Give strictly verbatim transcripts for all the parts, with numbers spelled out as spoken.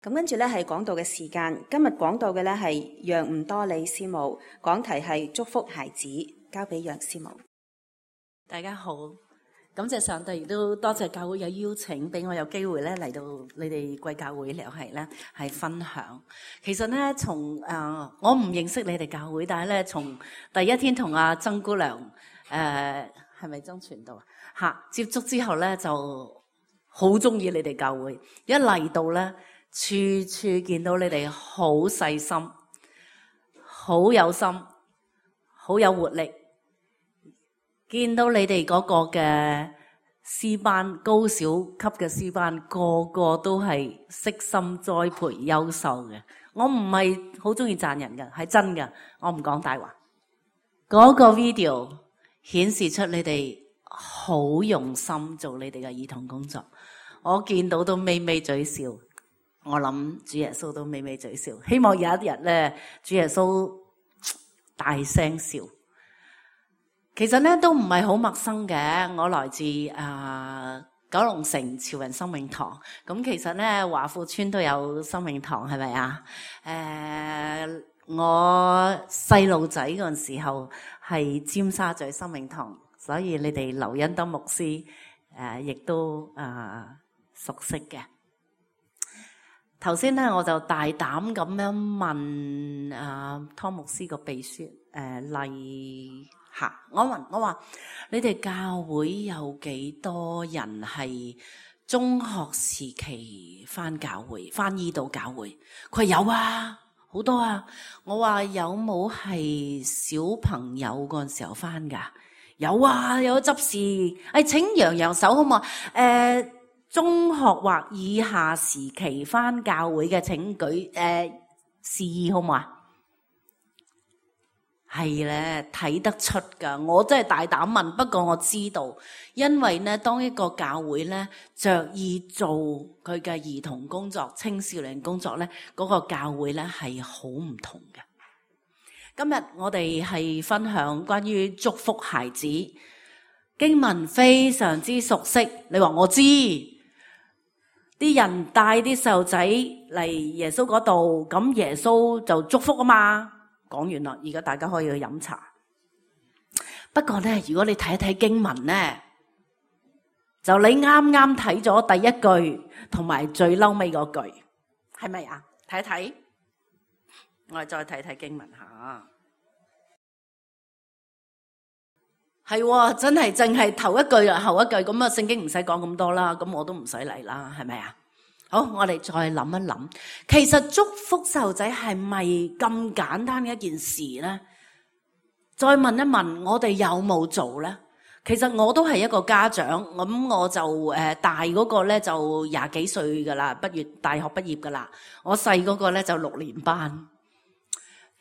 咁跟住咧係講道嘅時間，今日講道嘅咧係楊吳多利師母，講題係祝福孩子，交俾楊師母。大家好，感謝上帝，亦都多謝教會有邀請，俾我有機會咧嚟到你哋貴教會嚟係咧係分享。其實咧從誒我唔認識你哋教會，但係咧從第一天同阿曾姑娘誒係咪曾傳道啊吓接觸之後咧，就好中意你哋教會，一嚟到咧。處處見到你哋好細心、好有心、好有活力，見到你哋嗰個嘅詩班高小級嘅詩班，個個都係悉心栽培優秀嘅。我唔係好中意讚人嘅，係真嘅，我唔講大話。嗰個 video 顯示出你哋好用心做你哋嘅兒童工作，我見到都微微嘴笑。我諗主耶穌都微微嘴笑，希望有一日咧，主耶穌大聲笑。其實咧都唔係好陌生嘅，我來自啊、呃、九龍城潮人生命堂。咁其實咧華富村都有生命堂，係咪啊？誒、呃，我細路仔嗰陣時候係尖沙咀生命堂，所以你哋劉恩德牧師誒亦、呃、都啊、呃、熟悉嘅。頭先咧，我就大膽咁樣問啊湯牧師個秘書誒麗霞，我問我話：你哋教會有幾多人係中學時期返教會，返依度教會？佢話有啊，好多啊。我話有冇係小朋友嗰陣時候返㗎？有啊，有執事。誒、哎，請揚揚手好嘛？誒、呃。中學或以下時期返教會嘅請舉誒示意好嘛？係咧，睇得出㗎。我真係大膽問，不過我知道，因為咧，當一個教會咧着意做佢嘅兒童工作、青少年工作咧，嗰個教會咧係好唔同嘅。今日我哋係分享關於祝福孩子，經文非常之熟悉。你話我知。啲人帶啲細路仔嚟耶穌嗰度，咁耶穌就祝福啊嘛。講完啦，而家大家可以去飲茶。不過咧，如果你睇一睇經文咧，就你啱啱睇咗第一句同埋最嬲尾嗰句，係咪啊？睇一睇，我哋再睇睇經文下。係，真係淨係頭一句啊，後一句咁啊，聖經唔使講咁多啦，咁我都唔使嚟啦，係咪啊？好，我哋再諗一諗，其實祝福細路仔係咪咁簡單嘅一件事咧？再問一問，我哋有冇做咧？其實我都係一個家長，咁我就誒大嗰個咧就廿幾歲噶啦，畢業大學畢業噶啦，我細嗰個咧就六年班。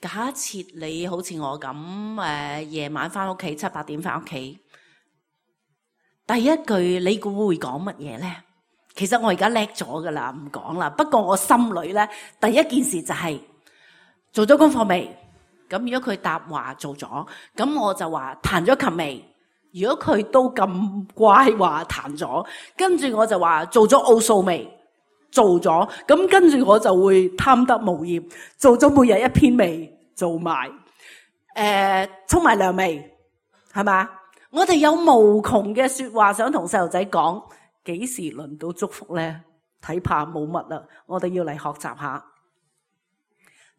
假設你好似我咁誒，夜晚翻屋企七八點翻屋企，第一句你估會講乜嘢咧？其實我而家叻咗噶啦，唔講啦。不過我心裏咧，第一件事就係做咗功課未？咁如果佢答話做咗，咁我就話彈咗琴未？如果佢都咁乖話彈咗，跟住我就話做咗奧數未？做咗，咁跟住我就會貪得無厭，做咗每日一篇未？做埋，誒、呃，沖埋涼未？係嘛？我哋有無窮嘅說話想同細路仔講，幾時輪到祝福咧？睇怕冇乜啦，我哋要嚟學習下。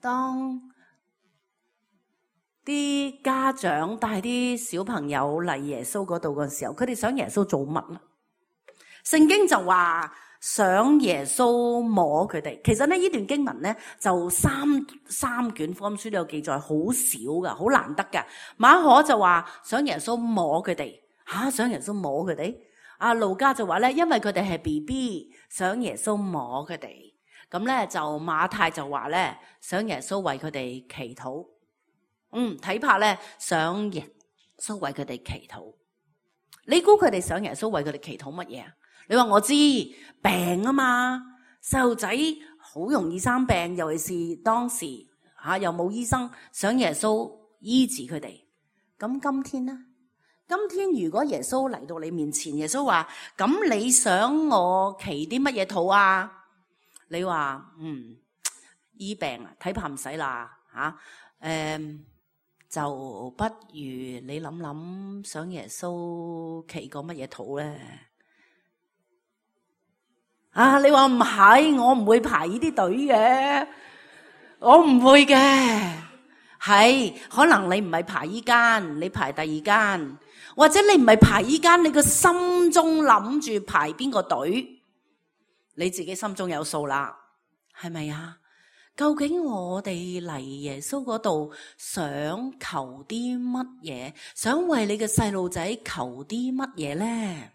當啲家長帶啲小朋友嚟耶穌嗰度嘅時候，佢哋想耶穌做乜咧？聖經就話想耶穌摸佢哋。其實咧呢段經文咧就三三卷福音書都有記載，好少噶，好難得噶。馬可就話想耶穌摸佢哋，吓、啊、想耶穌摸佢哋。阿路加就話咧，因為佢哋係 B B， 想耶穌摸佢哋。咁咧就馬太就話咧，想耶穌為佢哋祈禱。嗯，睇怕咧想耶穌為佢哋祈禱。你估佢哋想耶穌為佢哋祈禱乜嘢啊？你話我知，病啊嘛，細路仔好容易生病，尤其是當時吓、啊、又冇醫生，想耶穌醫治佢哋。咁今天呢？今天如果耶穌嚟到你面前，耶穌話：咁你想我祈啲乜嘢禱啊？你話嗯醫病啊，睇怕唔使啦嚇，誒就不如你諗諗想耶穌祈過乜嘢禱咧？啊，你話唔係，我唔會排呢啲隊嘅，我唔會嘅。係可能你唔係排依間，你排第二間，或者你唔係排依間，你個心中諗住排邊個隊，你自己心中有數啦，係咪啊？究竟我哋嚟耶穌嗰度想求啲乜嘢？想為你嘅細路仔求啲乜嘢咧？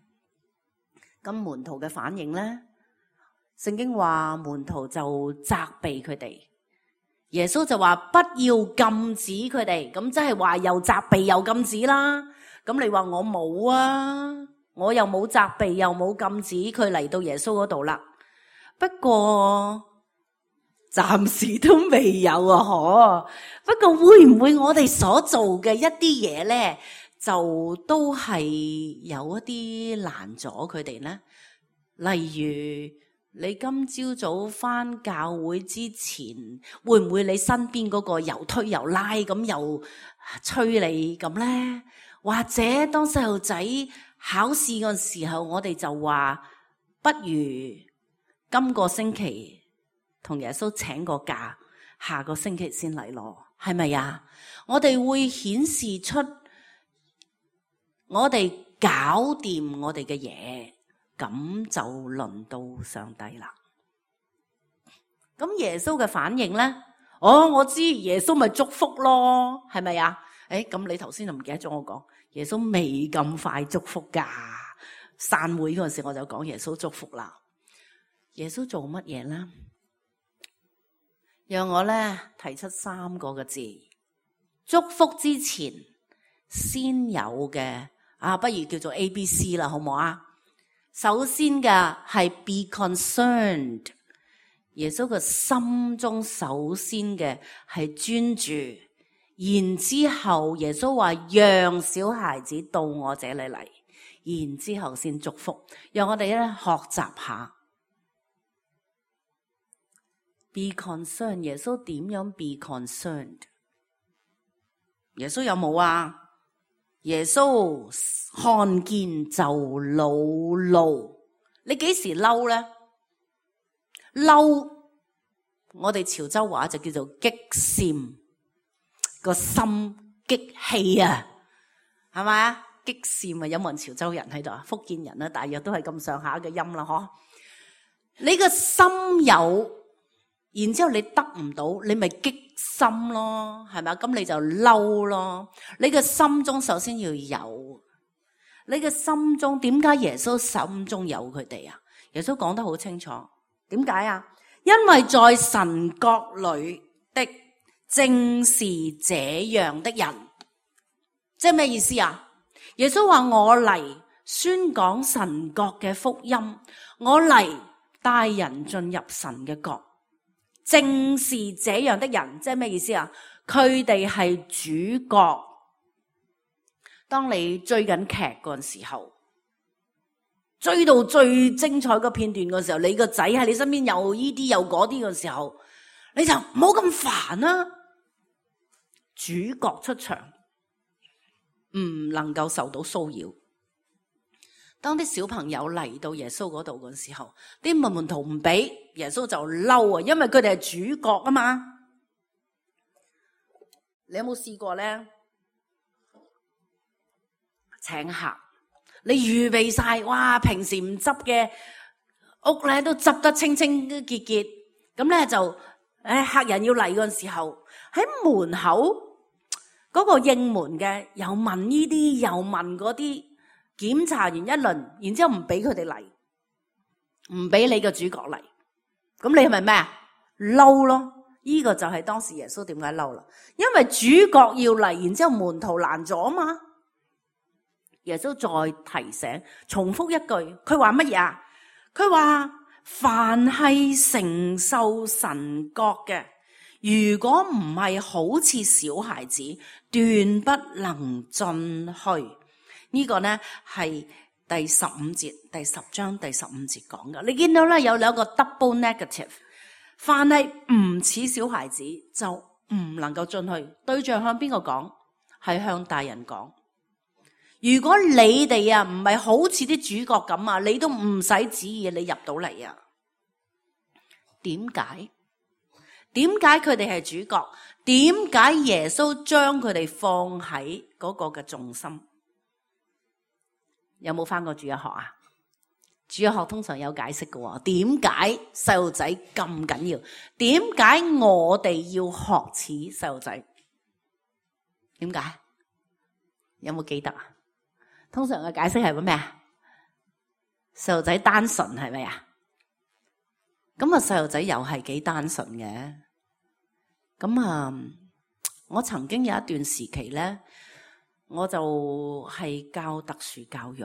咁門徒嘅反應咧？聖經話門徒就責備佢哋，耶穌就話不要禁止佢哋，咁即係話又責備又禁止啦。咁你話我冇啊，我又冇責備又冇禁止佢嚟到耶穌嗰度啦。不過暫時都未有啊，嗬。不過會唔會我哋所做嘅一啲嘢咧，就都係有一啲難阻佢哋咧？例如你今朝早返教會之前，會唔會你身邊嗰個又推又拉咁又催你咁咧？或者當細路仔考試嗰時候，我哋就話不如今個星期同耶穌請個假，下個星期先嚟咯，係咪啊？我哋會顯示出我哋搞掂我哋嘅嘢，咁就輪到上帝啦。咁耶穌嘅反應咧？哦，我知耶穌咪祝福咯，係咪啊？誒，咁你頭先就唔記得咗我講，耶穌未咁快祝福噶。散會嗰陣時我就講耶穌祝福啦。耶穌做乜嘢咧？讓我咧提出三個嘅字，祝福之前先有嘅啊，不如叫做 A B C 啦，好唔好啊？首先嘅係 be concerned， 耶穌嘅心中首先嘅係專注，然之後耶穌話讓小孩子到我這裏嚟，然之後先祝福，讓我哋咧學習下 be concerned。 耶穌點樣 be concerned？ 耶穌有冇啊？耶穌看見就惱怒。你幾時嬲咧？嬲，我哋潮州話就叫做激閃，個心激氣啊，係咪啊？激閃啊！有冇人潮州人喺度啊？福建人啊，大約都係咁上下嘅音啦，嗬。你個心有，然之後你得唔到，你咪激心咯，係咪啊？咁你就嬲咯。你嘅心中首先要有，你嘅心中點解耶穌心中有佢哋啊？耶穌講得好清楚，點解啊？因為在神國裏的正是這樣的人，即係咩意思啊？耶穌話我嚟宣講神國嘅福音，我嚟帶人進入神嘅國。正是這樣的人，即係咩意思啊？佢哋係主角。當你追緊劇嗰陣時候，追到最精彩嘅片段嘅時候，你個仔喺你身邊又依啲又嗰啲嘅時候，你就唔好咁煩啦。主角出場，唔能夠受到騷擾。當啲小朋友嚟到耶穌嗰度嘅時候，啲門門徒唔俾，耶穌就嬲啊，因為佢哋係主角啊嘛。你有冇試過咧？請客，你預備晒，哇！平時唔執嘅屋咧，都執得清清潔潔。咁咧就，誒，客人要嚟嗰陣時候，喺門口嗰個應門嘅，又問呢啲，又問嗰啲。檢查完一輪，然之後唔俾佢哋嚟，唔俾你個主角嚟，咁你係咪咩啊？嬲咯！呢個就係當時耶穌點解嬲啦？因為主角要嚟，然之後門徒攔咗嘛。耶穌再提醒，重複一句，佢話乜嘢啊？佢話凡係承受神國嘅，如果唔係好似小孩子，斷不能進去。呢個呢係第十五節，第十章第十五節講㗎。你見到咧有兩個 double negative， 凡係唔似小孩子就唔能夠進去。對象向邊個講？係向大人講。如果你哋啊唔係好似啲主角咁啊，你都唔使旨意你入到嚟啊。點解？點解佢哋係主角？點解耶穌將佢哋放喺嗰個嘅重心？有冇返過主日學啊？主日學通常有解釋嘅。點解細路仔咁緊要？點解我哋要學似細路仔？點解？有冇記得啊？通常嘅解釋係咩啊？細路仔單純係咪啊？咁啊，細路仔又係幾單純嘅。咁啊，我曾經有一段時期咧，我就係教特殊教育。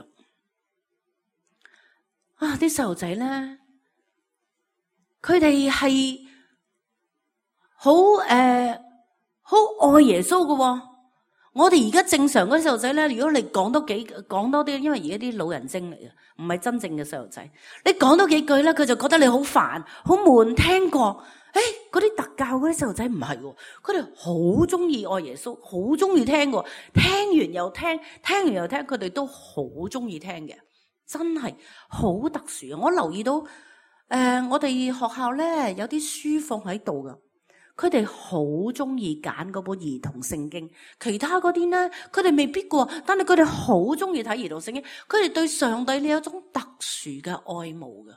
啊，啲細路仔咧，佢哋係好誒，好愛耶穌嘅。我哋而家正常嗰啲細路仔咧，如果你講多幾講多啲，因為而家啲老人精嚟嘅，唔係真正嘅細路仔。你講多幾句咧，佢就覺得你好煩、好悶。聽過，誒，嗰啲特教嗰啲細路仔唔係喎，佢哋好中意愛耶穌，好中意聽嘅，聽完又聽，聽完又聽，佢哋都好中意聽嘅，真係好特殊啊！我留意到，誒、呃，我哋學校咧有啲書放喺度噶。佢哋好中意揀嗰本兒童聖經，其他嗰啲咧，佢哋未必過，但係佢哋好中意睇兒童聖經。佢哋對上帝呢有一種特殊嘅愛慕嘅，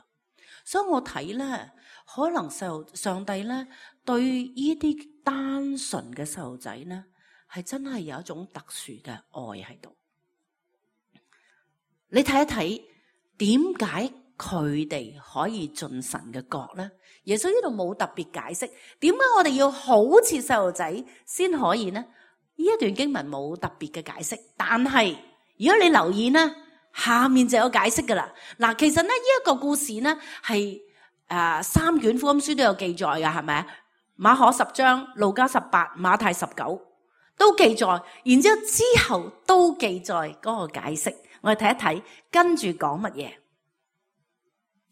所以我睇咧，可能細路上帝咧對呢啲單純嘅細路仔咧，係真係有一種特殊嘅愛喺度。你睇一睇，點解佢哋可以進神嘅國咧？耶穌呢度冇特別解釋，點解我哋要好似細路仔先可以呢？呢一段經文冇特別嘅解釋，但係如果你留意呢，下面就有解釋噶啦。嗱，其實呢，呢一個故事呢係誒三卷福音書都有記載噶，係咪？馬可十章、路加十八、馬太十九都記載，然之後之後都記載嗰個解釋。我哋睇一睇，跟住講乜嘢？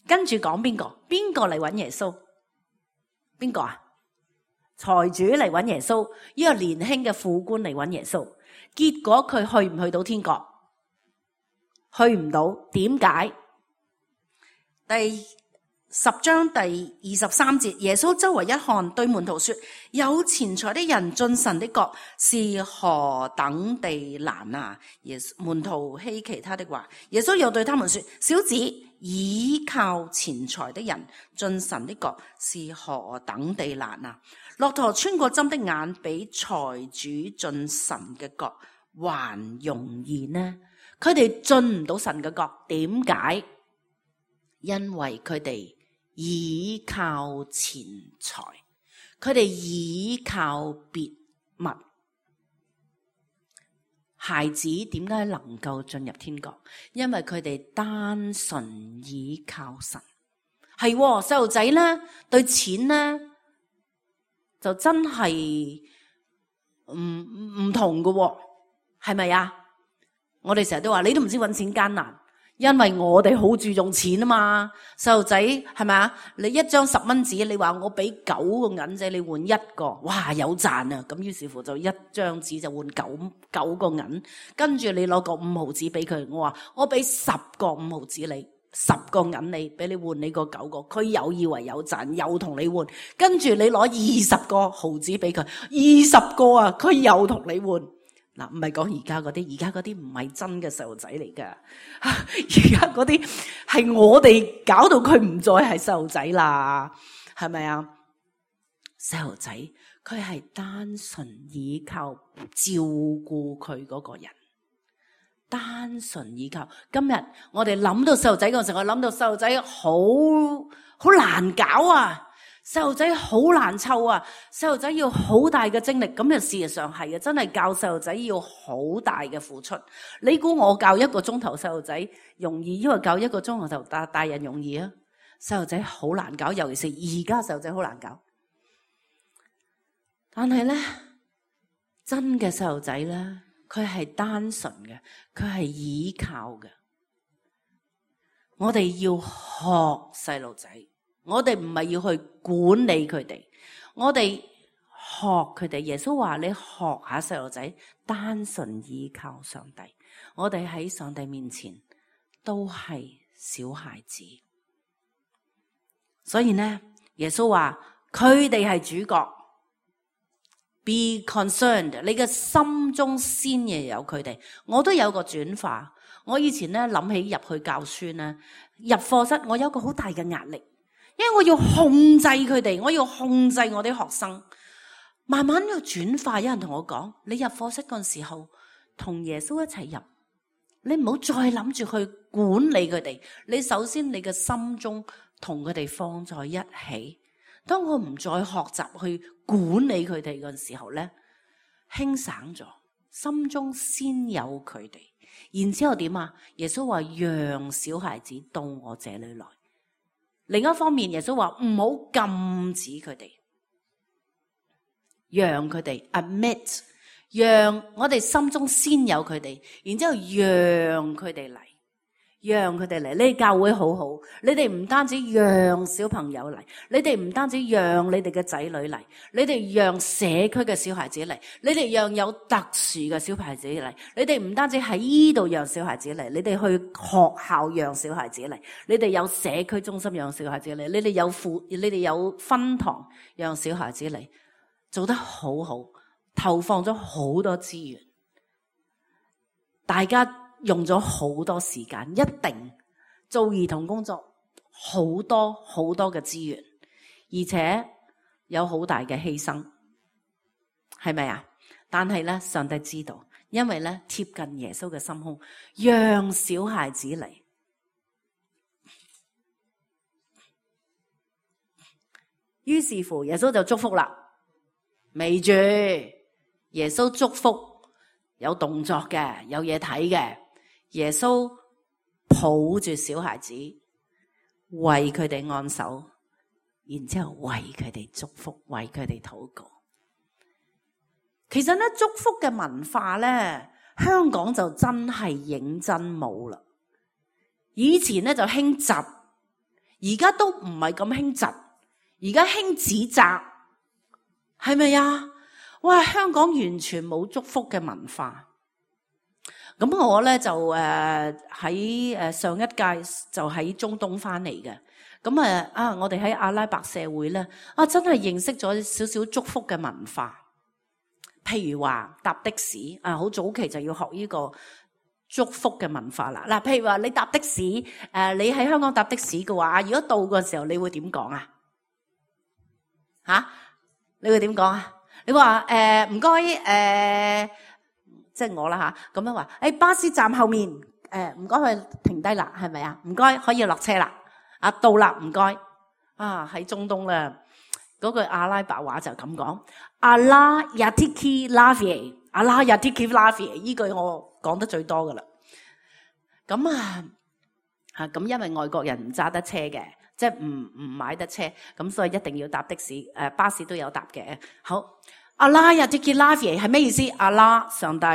跟住講邊個？邊個嚟揾耶穌？邊個啊？財主嚟揾耶穌，呢個年輕嘅富官嚟揾耶穌，結果佢去唔去到天國？去唔到，點解？第十章第二十三節，耶穌周圍一看，對門徒說：有錢財的人進神的國是何等地難啊！耶穌門徒希奇他的話，耶穌又對他們說：小子，倚靠錢財的人進神的國是何等地難啊！駱駝穿過針的眼，比財主進神嘅國還容易呢？佢哋進唔到神嘅國，點解？因為佢哋倚靠錢財，佢哋倚靠別物。孩子點解能夠進入天國？因為佢哋單純倚靠神。係細路仔咧，對錢咧就真係唔唔同㗎，係咪啊？我哋成日都話，你都唔知搵錢艱難。因為我哋好注重錢啊嘛，細路仔係咪啊？你一張十蚊紙，你話我俾九個銀仔你換一個，哇有賺啊！咁於是乎就一張紙就換九九個銀，跟住你攞個五毫紙俾佢，我話我俾十個五毫紙你，十個銀你，俾你換你個九個，佢又以為有賺，又同你換，跟住你攞二十個毫紙俾佢，二十個啊，佢又同你換。嗱，唔係講而家嗰啲，而家嗰啲唔係真嘅細路仔嚟噶，而家嗰啲係我哋搞到佢唔再係細路仔啦，係咪啊？細路仔佢係單純依靠照顧佢嗰個人，單純依靠。今日我哋諗到細路仔嗰陣時，我諗到細路仔好好難搞啊！細路仔好難湊啊！細路仔要好大嘅精力，咁又事實上係嘅，真係教細路仔要好大嘅付出。你估我教一個鐘頭細路仔容易，因為教一個鐘頭大大人容易啊？細路仔好難搞，尤其是而家細路仔好難搞。但係咧，真嘅細路仔咧，佢係單純嘅，佢係倚靠嘅。我哋要學細路仔，我哋唔係要去管理佢哋，我哋學佢哋。耶穌話你學下細路仔，單純依靠上帝。我哋喺上帝面前都係小孩子，所以呢，耶穌話佢哋係主角。Be concerned， 你嘅心中先要有佢哋。我都有個轉化。我以前咧諗起入去教書咧，入課室我有個好大嘅壓力，因為我要控制佢哋，我要控制我啲學生。慢慢要轉化，有人同我講：你入課室嗰陣時候，同耶穌一齊入，你唔好再諗住去管理佢哋。你首先你嘅心中同佢哋放在一起。當我唔再學習去管理佢哋嗰陣時候咧，輕省咗，心中先有佢哋。然之後點啊？耶穌話讓小孩子到我這裏來。另一方面，耶穌話唔好禁止佢哋，讓佢哋 admit， 讓我哋心中先有佢哋，然之後讓佢哋嚟。讓佢哋嚟，你哋教會好好，你哋唔單止讓小朋友嚟，你哋唔單止讓你哋嘅仔女嚟，你哋讓社區嘅小孩子嚟，你哋讓有特殊嘅小孩子嚟，你哋唔單止喺呢度讓小孩子嚟，你哋去學校讓小孩子嚟，你哋有社區中心讓小孩子嚟，你哋有輔，你哋有分堂讓小孩子嚟，做得好好，投放咗好多資源，大家用咗好多時間，一定做兒童工作好多好多嘅資源，而且有好大嘅犧牲，係咪啊？但係咧，上帝知道，因為咧貼近耶穌嘅心胸，讓小孩子嚟。於是乎，耶穌就祝福啦。未住，耶穌祝福有動作嘅，有嘢睇嘅。耶穌抱住小孩子，為佢哋按手，然之後為佢哋祝福，為佢哋禱告。其實咧，祝福嘅文化咧，香港就真係認真冇啦。以前咧就興窒，而家都唔係咁興窒，而家興指責，係咪啊？哇！香港完全冇祝福嘅文化。咁我咧就誒喺誒上一屆就喺中東翻嚟嘅，咁誒啊我哋喺阿拉伯社會咧啊真係認識咗少少祝福嘅文化，譬如話搭的士啊，好早期就要學呢個祝福嘅文化啦。嗱，譬如話你搭的士誒，你喺香港搭的士嘅話，如果到嘅時候你會點講啊？吓，你會點講啊？你話誒唔該誒。即係我啦吓，咁樣話，誒、哎、巴士站後面，誒唔該佢停低啦，係咪啊？唔該可以落車啦，啊到啦，唔該。啊喺中東咧，嗰句阿拉伯話就咁講，阿拉亞提基拉菲，阿拉亞提基拉菲，依句我講得最多噶啦。咁啊，啊咁因為外國人唔揸得車嘅，即係唔唔買得車，咁所以一定要搭的士，誒、呃、巴士都有搭嘅。好。阿拉亞提基拉菲係咩意思？阿拉上帝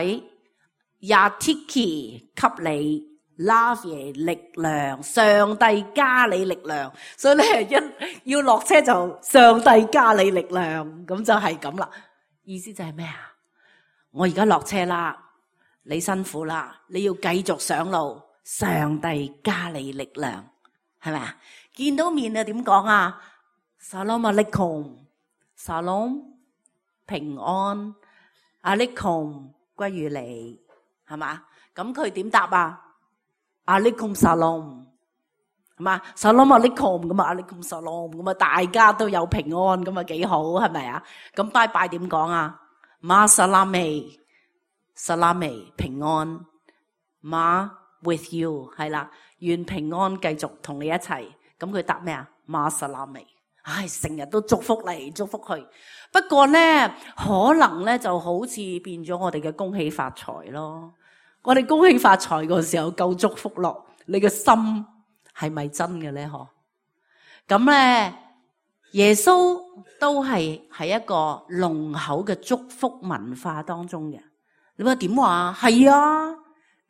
亞提基給你拉菲力量，上帝加你力量，所以咧一要落車就上帝加你力量，咁就係咁啦。意思就係咩啊？我而家落車啦，你辛苦啦，你要繼續上路，上帝加你力量，係咪啊？見到面啊點講啊？Salam alaikum，Salam。平安，阿力控歸於你，係嘛？咁佢點答啊？阿力控沙龍，係嘛？沙龍阿力控咁啊，阿力控沙龍咁啊，大家都有平安咁啊，幾好係咪啊？咁拜拜點講啊？馬薩拉美，薩拉美平安，馬 with you 係啦，願平安繼續同你一齊。咁佢答咩啊？馬薩拉美。唉，成日都祝福嚟祝福去，不過咧可能咧就好似變咗我哋嘅恭喜發財咯。我哋恭喜發財嗰時候夠祝福咯，你嘅心係咪真嘅咧？嗬，咁咧耶穌都係喺一個濃厚嘅祝福文化當中嘅。你話點話？係啊，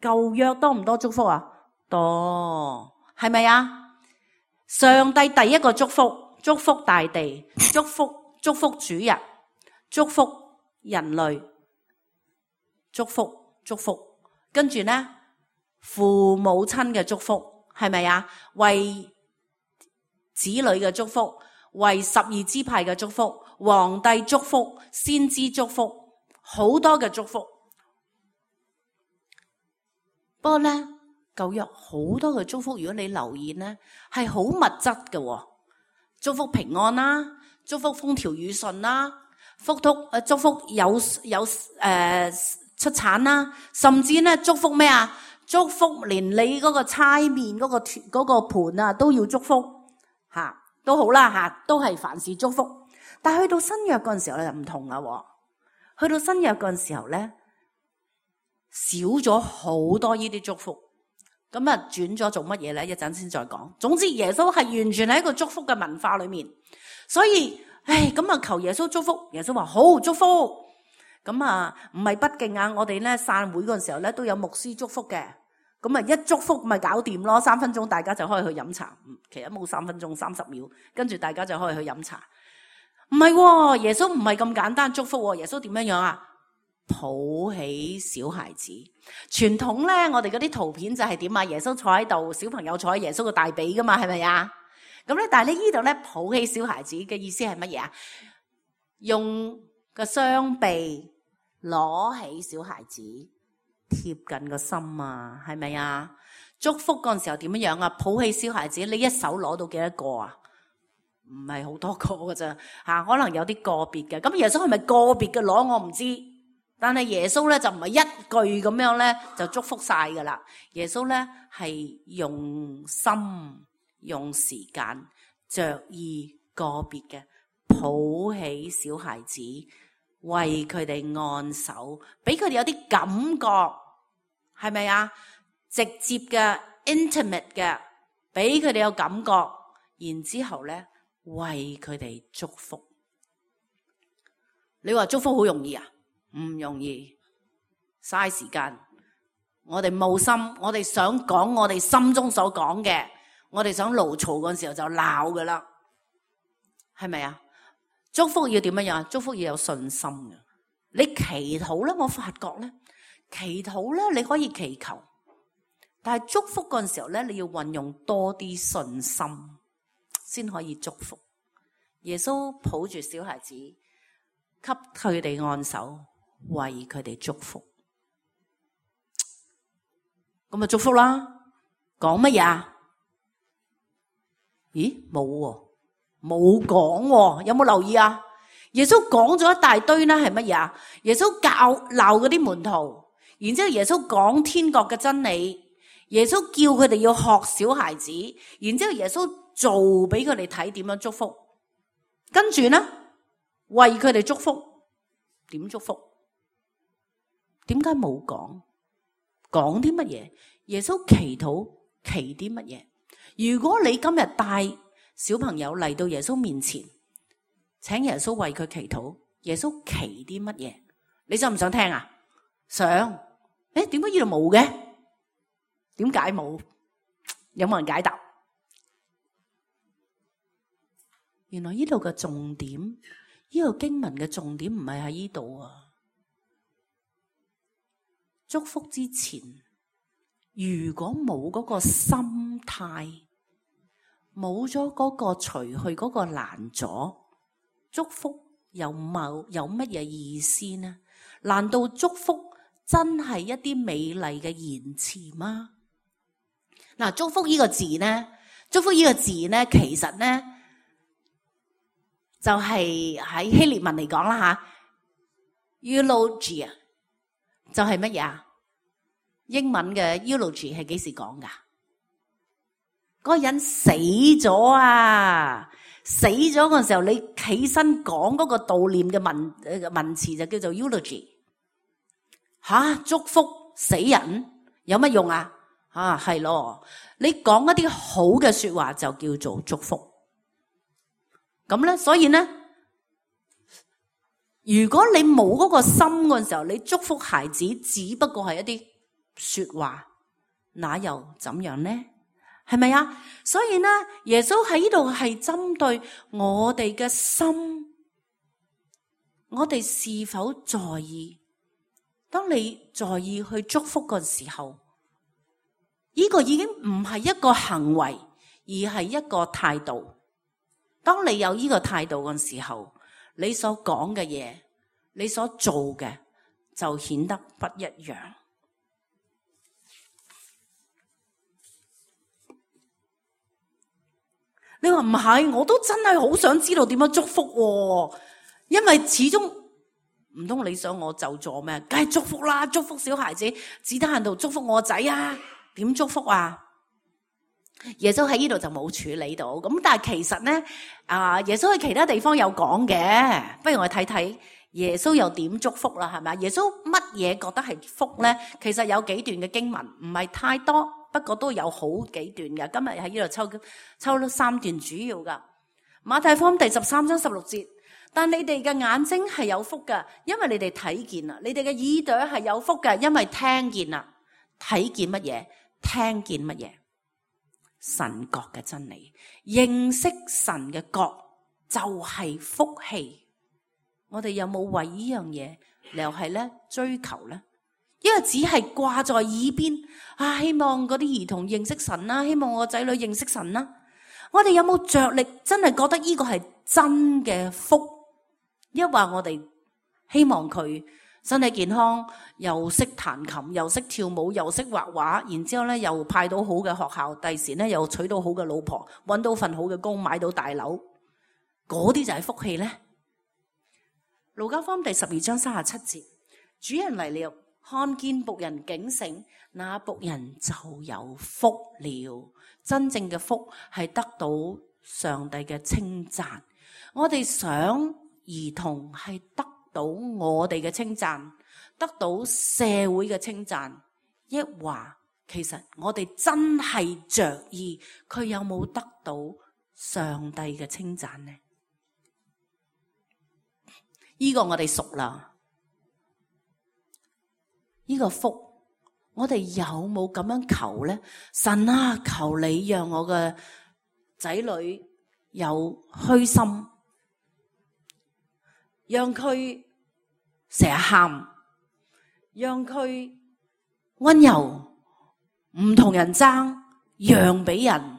舊約多唔多祝福啊？多。係咪啊？上帝第一個祝福，祝福大地，祝福祝福主人，祝福人類，祝福祝福，跟住呢，父母親嘅祝福，係咪啊？為子女嘅祝福，為十二支派嘅祝福，皇帝祝福，先知祝福，好多嘅祝福。不過咧，舊約好多嘅祝福，如果你留意咧，係好物質嘅，祝福平安啦，祝福風調雨順啦，福祝誒祝福有有誒、呃、出產啦，甚至咧祝福咩啊？祝福連你嗰個猜麵嗰個嗰個盤啊都要祝福吓，都好啦吓，都係凡事祝福。但係去到新約嗰陣時候咧就唔同啦，去到新約嗰陣時候咧。少咗好多呢啲祝福，咁啊轉咗做乜嘢咧？一陣先再講。總之耶穌係完全喺一個祝福嘅文化裏面，所以唉咁啊求耶穌祝福，耶穌話好祝福。咁啊唔係不敬啊，我哋咧散會嗰陣時候咧都有牧師祝福嘅，咁啊一祝福咪搞掂咯，三分鐘大家就可以去飲茶，其實冇三分鐘，三十秒，跟住大家就可以去飲茶。唔係喎，耶穌唔係咁簡單祝福喎，耶穌點樣樣啊？抱起小孩子，傳統咧，我哋嗰啲圖片就係點啊？耶穌坐喺度，小朋友坐喺耶穌嘅大髀噶嘛，係咪啊？咁咧，但係呢呢度咧，抱起小孩子嘅意思係乜嘢啊？用個雙臂攞起小孩子，貼近個心啊，係咪啊？祝福嗰陣時候點樣樣啊？抱起小孩子，你一手攞到幾多個啊？唔係好多個噶咋吓，可能有啲個別嘅。咁耶穌係咪個別嘅攞？我唔知。但係耶穌咧就唔係一句咁樣咧就祝福晒噶啦，耶穌咧係用心用時間着意個別嘅抱起小孩子，為佢哋按手，俾佢哋有啲感覺，係咪啊？直接嘅 intimate 嘅，俾佢哋有感覺，然之後咧為佢哋祝福。你話祝福好容易啊？唔容易，嘥時間。我哋冇心，我哋想講我哋心中所講嘅，我哋想怒嘈嗰陣時候就鬧噶啦，係咪啊？祝福要點樣樣？祝福要有信心嘅。你祈禱咧，我發覺咧，祈禱咧你可以祈求，但係祝福嗰陣時候咧，你要運用多啲信心先可以祝福。耶穌抱住小孩子，給佢哋按手。為佢哋祝福，咁咪祝福啦。講乜嘢？咦，冇喎，冇講喎。有冇留意啊？耶穌講咗一大堆呢，係乜嘢啊？耶穌教鬧嗰啲門徒，然之後耶穌講天國嘅真理，耶穌叫佢哋要學小孩子，然之後耶穌做俾佢哋睇點樣祝福，跟住呢，為佢哋祝福，點祝福？點解冇講？講啲乜嘢？耶穌祈禱祈啲乜嘢？如果你今日帶小朋友嚟到耶穌面前，請耶穌為佢祈禱，耶穌祈啲乜嘢？你想唔想聽啊？想。誒，點解呢度冇嘅？點解冇？有冇人解答？原來呢度嘅重點，呢個經文嘅重點唔係喺呢度啊！祝福之前，如果冇嗰個心態，冇咗嗰個除去嗰個攔阻，祝福有冇有乜嘢意思呢？難道祝福真係一啲美麗嘅言辭嗎？嗱，祝福呢個字呢，祝福呢個字呢，其實呢就係喺希臘文嚟講啦吓 eulogia 就係乜嘢啊？英文嘅 eulogy 係幾時講噶？嗰個人死咗啊！死咗嗰陣時候，你起身講嗰個悼念嘅文文詞就叫做 eulogy。吓，祝福死人有乜用啊？啊，係咯，你講一啲好嘅說話就叫做祝福。咁咧，所以咧，如果你冇嗰個心嗰陣時候，你祝福孩子只不過係一啲說話，那又怎樣呢？係咪啊？所以呢，耶穌喺呢度係針對我哋嘅心，我哋是否在意？當你在意去祝福嘅時候，呢個已經唔係一個行為，而係一個態度。當你有呢個態度嘅時候，你所講嘅嘢，你所做嘅就顯得不一樣。你話唔係，我都真係好想知道點樣祝福喎，因為始終唔通你想我就做咩？梗係祝福啦，祝福小孩子，只得閒度祝福我仔啊？點祝福啊？耶穌喺呢度就冇處理到，咁但係其實咧，啊耶穌喺其他地方有講嘅，不如我哋睇睇耶穌又點祝福啦，係咪？耶穌乜嘢覺得係福咧？其實有幾段嘅經文，唔係太多。不過都有好幾段嘅，今日喺呢度抽抽咗三段主要噶。馬太福音第十三章十六節，但你哋嘅眼睛係有福嘅，因為你哋睇見啦；你哋嘅耳朵係有福嘅，因為聽見啦。睇見乜嘢？聽見乜嘢？神國嘅真理，認識神嘅國就係福氣。我哋有冇為呢樣嘢又係咧追求咧？因為只係掛在耳邊啊，希望嗰啲兒童認識神啦，希望我個仔女認識神啦。我哋有冇着力真係覺得呢個係真嘅福？抑或我哋希望佢身體健康，又識彈琴，又識跳舞，又識畫畫，然之後咧又派到好嘅學校，第時咧又娶到好嘅老婆，搵到份好嘅工，買到大樓，嗰啲就係福氣咧。路加福音第十二章三十七節，主人嚟了，看見僕人警醒，那僕人就有福了。真正嘅福係得到上帝嘅稱讚。我哋想兒童係得到我哋嘅稱讚，得到社會嘅稱讚，抑或其實我哋真係着意佢有冇得到上帝嘅稱讚呢？呢個我哋熟啦。呢個福，我哋有冇咁樣求咧？神啊，求你讓我嘅仔女有虛心，讓佢成日喊，讓佢溫柔，唔同人爭，讓俾人，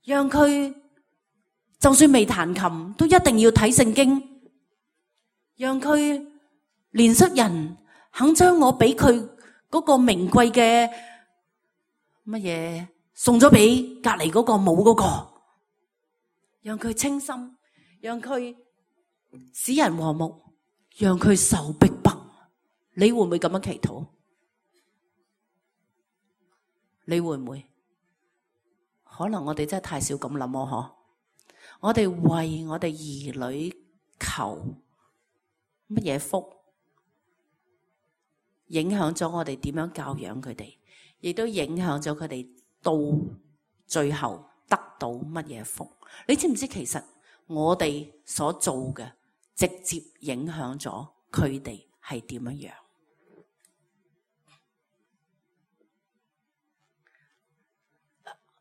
讓佢就算未彈琴都一定要睇聖經，讓佢憐恤人。肯將我俾佢嗰個名貴嘅乜嘢送咗俾隔籬嗰個冇嗰個，讓佢清心，讓佢使人和睦，讓佢受逼迫。你會唔會咁樣祈禱？你會唔會？可能我哋真係太少咁諗喎，嗬！我哋為我哋兒女求乜嘢福？影響咗我哋點樣教養佢哋，亦都影響咗佢哋到最後得到乜嘢福？你知唔知其實我哋所做嘅直接影響咗佢哋係點樣樣？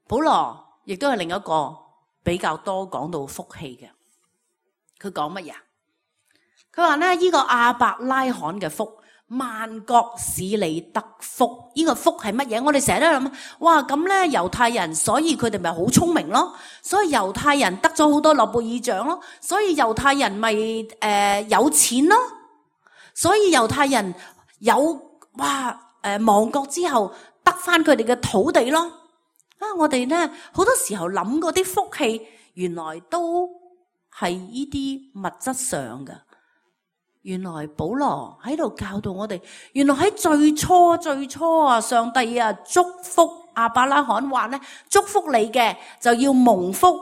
保羅亦都係另一個比較多講到福氣嘅，佢講乜嘢？佢話咧，呢個亞伯拉罕嘅福。萬國使你得福，呢個福係乜嘢？我哋成日都諗，哇咁咧猶太人，所以佢哋咪好聰明咯，所以猶太人得咗好多諾貝爾獎咯，所以猶太人咪誒、呃、有錢咯，所以猶太人有哇誒、呃、亡國之後得翻佢哋嘅土地咯。啊，我哋咧好多時候諗嗰啲福氣，原來都係呢啲物質上嘅。原來保羅喺度教導我哋，原來喺最初最初啊，上帝啊祝福亞伯拉罕話咧，祝福你嘅就要蒙福。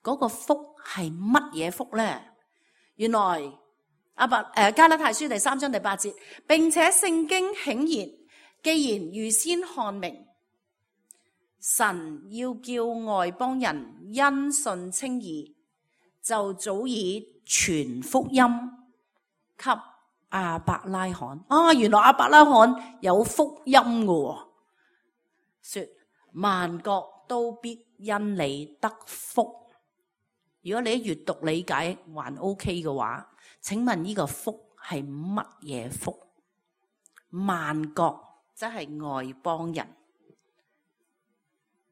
嗰個福係乜嘢福咧？原來阿伯誒加拉太書第三章第八節，並且聖經顯然，既然預先看明，神要叫外邦人因信稱義，就早已傳福音給亞伯拉罕啊！原來亞伯拉罕有福音嘅，說萬國都必因你得福。如果你閱讀理解還 OK 嘅話，請問呢個福係乜嘢福？萬國即係外邦人，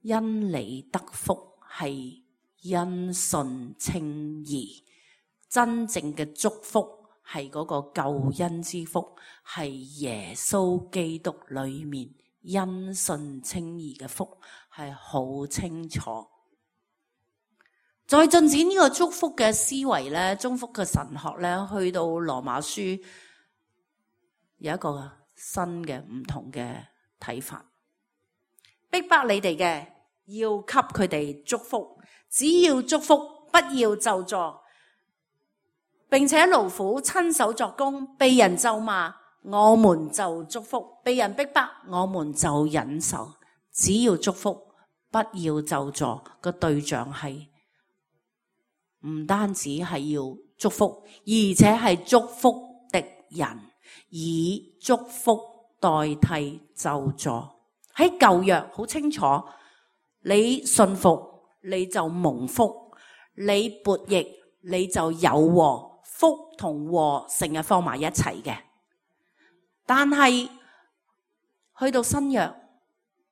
因你得福係因信稱義，真正嘅祝福係嗰個救恩之福，係耶穌基督裏面因信稱義嘅福，係好清楚。再進展呢個祝福嘅思維咧，祝福嘅神學咧，去到羅馬書有一個新嘅唔同嘅睇法。逼迫你哋嘅要給佢哋祝福，只要祝福，不要咒詛，並且勞苦親手作工，被人咒罵，我們就祝福；被人逼迫，我們就忍受。只要祝福，不要咒詛。個對象係唔單止係要祝福，而且係祝福敵人，以祝福代替咒詛。喺舊約好清楚，你信服你就蒙福，你悖逆你就有禍，福同禍成日放埋一齊嘅。但係去到新約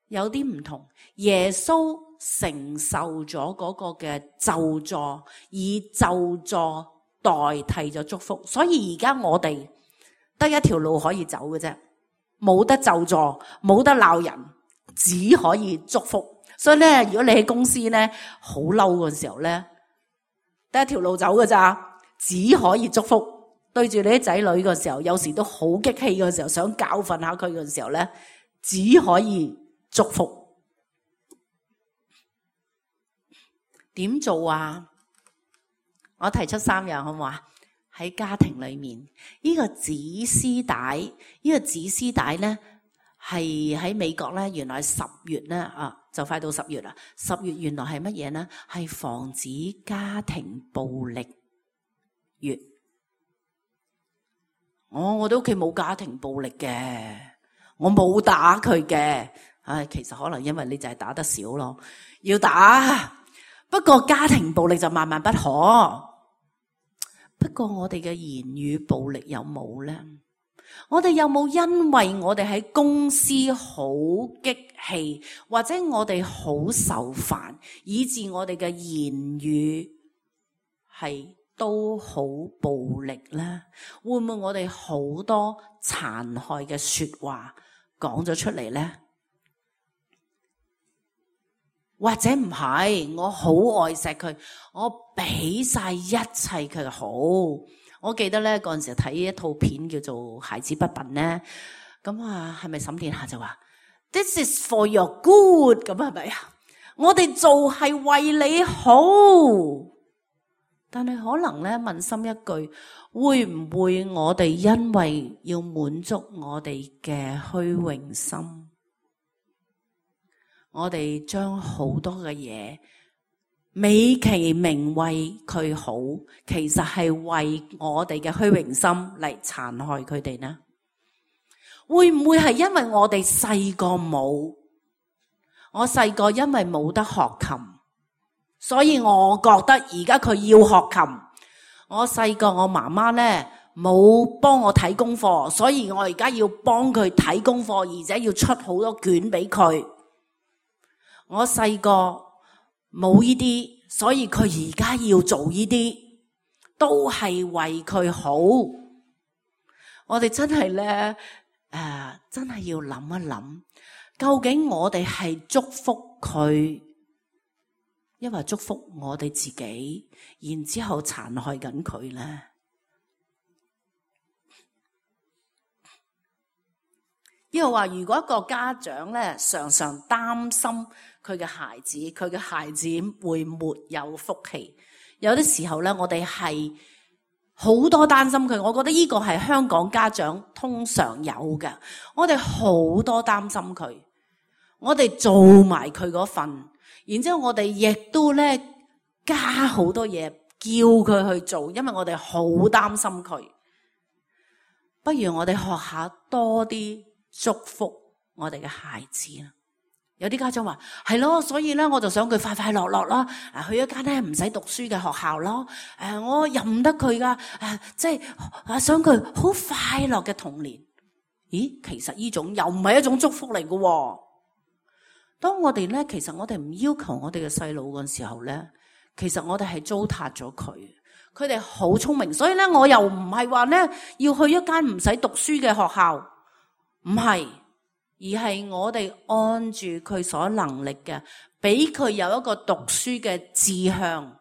有啲唔同，耶穌承受咗嗰個嘅咒詛，以咒詛代替咗祝福。所以而家我哋得一條路可以走嘅啫，冇得咒詛，冇得鬧人，只可以祝福。所以咧，如果你喺公司咧好嬲嘅時候咧，得一條路走嘅咋，只可以祝福。對住你啲仔女嘅時候，有時都好激氣嘅時候，想教訓下佢嘅時候咧，只可以祝福。點做啊？我提出三樣好唔好啊？喺家庭裏面，呢個指絲帶，呢個指絲帶咧係喺美國咧，原來十月咧啊，就快到十月啦。十月原來係乜嘢咧？係防止家庭暴力月。我我哋屋企冇家庭暴力嘅，我冇打佢嘅。唉，其實可能因為你就係打得少咯，要打。不過家庭暴力就萬萬不可。不過我哋嘅言語暴力有冇呢？我哋有冇因為我哋喺公司好激氣，或者我哋好受煩，以致我哋嘅言語係都好暴力呢？會唔會我哋好多殘害嘅說話講咗出嚟呢？或者唔係，我好愛錫佢，我俾晒一切佢好。我記得咧嗰陣時睇一套片叫做《孩子不笨》咧，咁啊係咪沈殿霞就話 This is for your good， 咁係咪啊？我哋做係為你好，但係可能咧問心一句，會唔會我哋因為要滿足我哋嘅虛榮心，我哋將好多嘅嘢美其名為佢好，其實係為我哋嘅虛榮心嚟殘害佢哋呢？會唔會係因為我哋細個冇？我細個因為冇得學琴，所以我覺得而家佢要學琴。我細個我媽媽呢冇幫我睇功課，所以我而家要幫佢睇功課，而且要出好多卷俾佢。我細個冇呢啲，所以佢而家要做呢啲，都係為佢好。我哋真係咧，誒、呃，真係要諗一諗，究竟我哋係祝福佢，抑或祝福我哋自己，然之後殘害緊佢咧？呢個話，如果一個家長咧常常擔心佢嘅孩子，佢嘅孩子會沒有福氣。有啲時候咧，我哋係好多擔心佢。我覺得呢個係香港家長通常有嘅。我哋好多擔心佢，我哋做埋佢嗰份，然之後我哋亦都咧加好多嘢叫佢去做，因為我哋好擔心佢。不如我哋學下多啲祝福我哋嘅孩子啦。有啲家長話係咯，所以咧我就想佢快快樂樂啦，去一間咧唔使讀書嘅學校咯。誒，我任得佢噶，誒，即係想佢好快樂嘅童年。咦，其實呢種又唔係一種祝福嚟嘅。當我哋咧，其實我哋唔要求我哋嘅細路嘅時候咧，其實我哋係糟蹋咗佢。佢哋好聰明，所以咧我又唔係話咧要去一間唔使讀書嘅學校，唔係。而係我哋按住佢所能力嘅，俾佢有一個讀書嘅志向，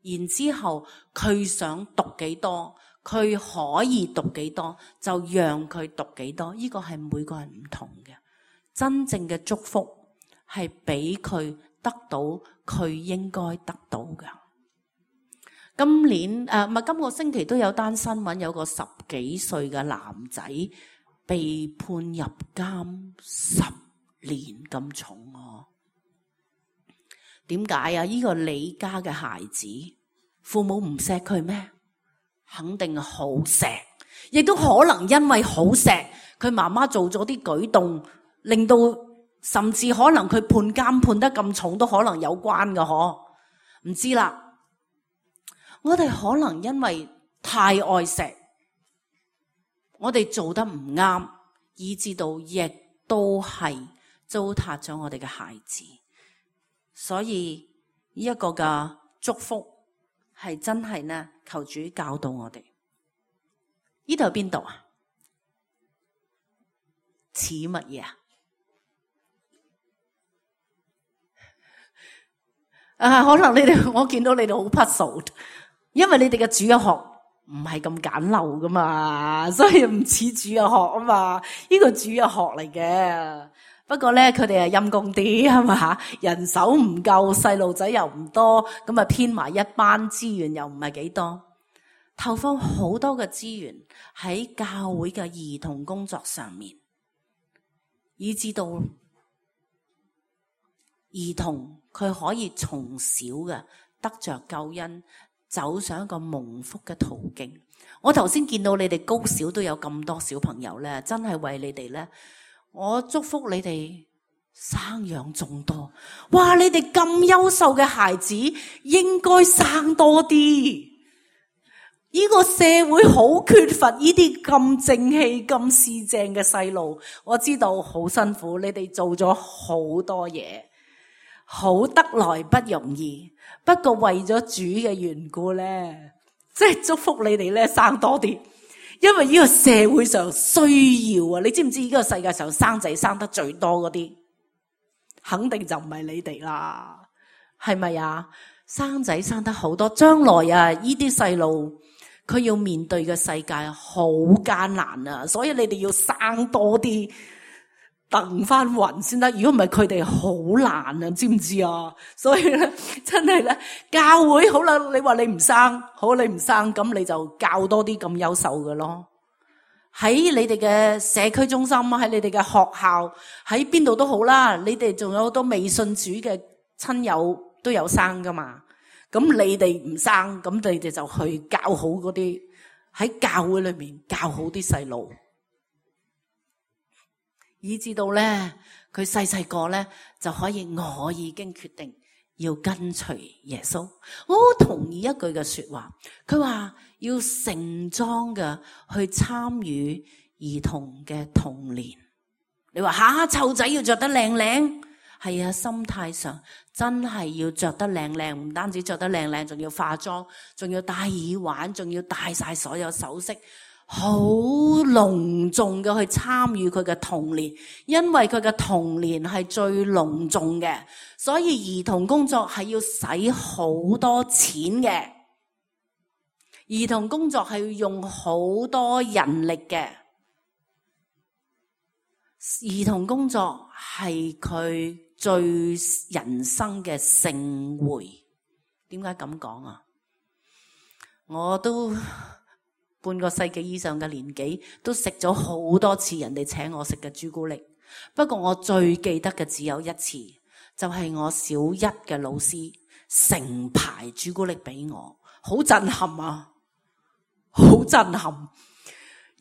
然之後佢想讀幾多，佢可以讀幾多，就讓佢讀幾多。呢個係每個人唔同嘅。真正嘅祝福係俾佢得到佢應該得到嘅。今年誒，唔係今個星期都有單新聞，有個十幾歲嘅男仔被判入監十年咁重啊！點解啊？呢個李家嘅孩子，父母唔錫佢咩？肯定好錫，亦都可能因為好錫，佢媽媽做咗啲舉動，令到甚至可能佢判監判得咁重，都可能有關嘅嗬？唔知啦，我哋可能因為太愛錫。我哋做得唔啱，以致到亦都係糟蹋咗我哋嘅孩子。所以呢一個嘅祝福係真係呢，求主教導我哋。呢度係邊度啊？似乜嘢啊？啊，可能你哋我見到你哋好 puzzled， 因為你哋嘅主日學唔係咁簡陋噶嘛，所以唔似主日學啊嘛。呢個主日學嚟嘅，不過咧佢哋係陰公啲係嘛，人手唔夠，細路仔又唔多，咁啊編埋一班，資源又唔係幾多，投放好多嘅資源喺教會嘅兒童工作上面，以至到兒童佢可以從小嘅得着救恩，走上一個蒙福嘅途徑。我頭先見到你哋高小都有咁多小朋友咧，真係為你哋咧，我祝福你哋生養眾多。哇！你哋咁優秀嘅孩子，應該生多啲。呢個社會好缺乏呢啲咁正氣、咁市正嘅細路。我知道好辛苦，你哋做咗好多嘢，好得來不容易。不過為咗主嘅緣故咧，即係祝福你哋咧生多啲，因為呢個社會上需要啊！你知唔知呢個世界上生仔生得最多嗰啲，肯定就唔係你哋啦，係咪啊？生仔生得好多，將來啊呢啲細路佢要面對嘅世界好艱難啊，所以你哋要生多啲。掟翻雲先得，如果唔係佢哋好難啊，知唔知啊？所以咧，真係咧，教會好啦，你話你唔生，好你唔生，咁你就教多啲咁優秀嘅咯。喺你哋嘅社區中心，喺你哋嘅學校，喺邊度都好啦，你哋仲有好多未信主嘅親友都有生噶嘛。咁你哋唔生，咁你哋就去教好嗰啲喺教會裏面教好啲細路。以至到咧，佢細細個咧就可以，我已經決定要跟隨耶穌。我好同意一句嘅說話，佢話要盛裝嘅去參與兒童嘅童年。你話吓，湊仔要着得靚靚，係啊，心態上真係要着得靚靚，唔單止着得靚靚，仲要化妝，仲要戴耳環，仲要戴晒所有首飾。好隆重嘅去參與佢嘅童年，因為佢嘅童年係最隆重嘅，所以兒童工作係要使好多錢嘅，兒童工作係要用好多人力嘅，兒童工作係佢最人生嘅盛會。點解咁講啊？我都半個世紀以上嘅年紀，都食咗好多次人哋請我食嘅朱古力。不過我最記得嘅只有一次，就係我小一嘅老師成排朱古力俾我，好震撼啊！好震撼！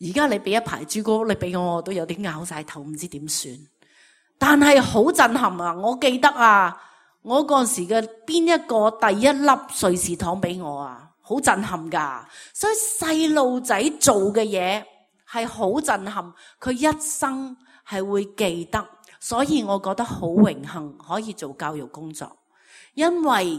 而家你俾一排朱古力俾我，我都有啲拗晒頭，唔知點算。但係好震撼啊！我記得啊，我嗰時嘅邊一個第一粒瑞士糖俾我啊，好震撼噶。所以細路仔做嘅嘢係好震撼，佢一生係會記得。所以我覺得好榮幸可以做教育工作，因為